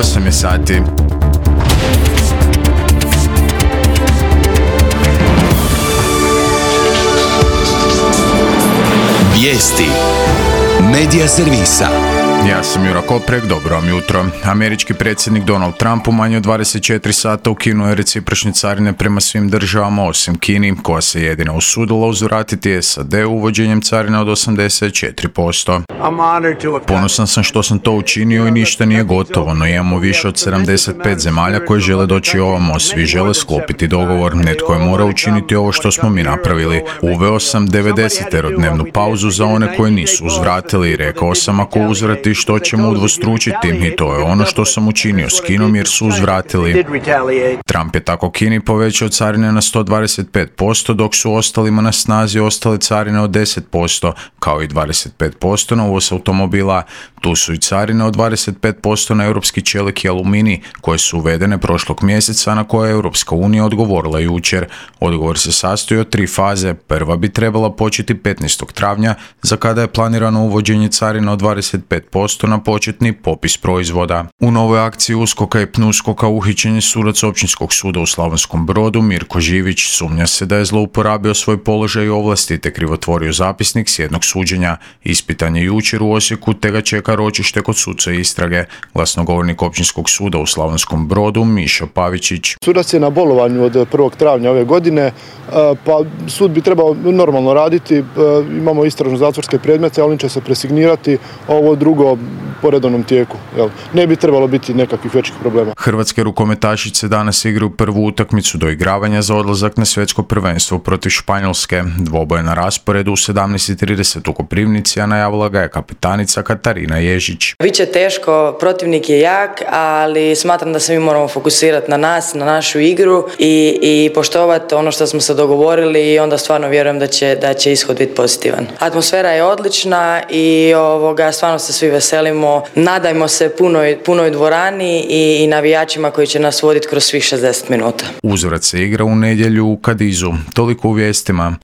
8 je sati. Vijesti Medija servisa. Ja sam Jura Koprek, dobro vam jutro. Američki predsjednik Donald Trump u manje od 24 sata ukinuo je recipročne carine prema svim državama osim Kini, koja se jedina usudila uzvratiti SAD uvođenjem carina od 84%. Ponosan sam što sam to učinio i ništa nije gotovo, no imamo više od 75 zemalja koje žele doći ovamo, svi žele sklopiti dogovor, netko je morao učiniti ovo što smo mi napravili. Uveo sam 90-dnevnu pauzu za one koje nisu uzvratili i rekao sam ako uzvrati što ćemo udvostručiti i to je ono što sam učinio s Kinom jer su uzvratili. Trump je tako Kini povećao carine na 125%, dok su ostalima na snazi ostale carine od 10%, kao i 25% na uvoz automobila. Tu su i carine od 25% na europski čelik i aluminij, koje su uvedene prošlog mjeseca, na koje je Europska unija odgovorila jučer. Odgovor se sastoji od 3 faze. Prva bi trebala početi 15. travnja, za kada je planirano uvođenje carina od 25% na početni popis proizvoda. U novoj akciji USKOK-a i PNUSKOK-a uhićen je sudac Općinskog suda u Slavonskom Brodu Mirko Živić. Sumnja se da je zlouporabio svoj položaj i ovlasti te krivotvorio zapisnik s jednog suđenja. Ispitan je jučer u Osijeku te ga čeka ročište kod suca istrage. Glasnogovornik Općinskog suda u Slavonskom Brodu Mišo Pavičić. Sudac je na bolovanju od 1. travnja ove godine, pa sud bi trebao normalno raditi. Imamo istražno zatvorske predmete, ali će se presignirati, ovo drugo po redovnom tijeku. Ne bi trebalo biti nekakvih većih problema. Hrvatske rukometašice danas igraju prvu utakmicu doigravanja za odlazak na svjetsko prvenstvo protiv Španjolske. Dvoboj na rasporedu u 17:30 u Koprivnici, a najavila ga je kapetanica Katarina Ježić. Biće teško, protivnik je jak, ali smatram da se mi moramo fokusirati na nas, na našu igru i poštovati ono što smo se dogovorili i onda stvarno vjerujem da će ishod biti pozitivan. Atmosfera je odlična i stvarno se svi veselimo. Nadajmo se punoj dvorani i navijačima koji će nas voditi kroz svih 60 minuta. Uzvrat se igra u nedjelju u Kadizu. Toliko u vijestima.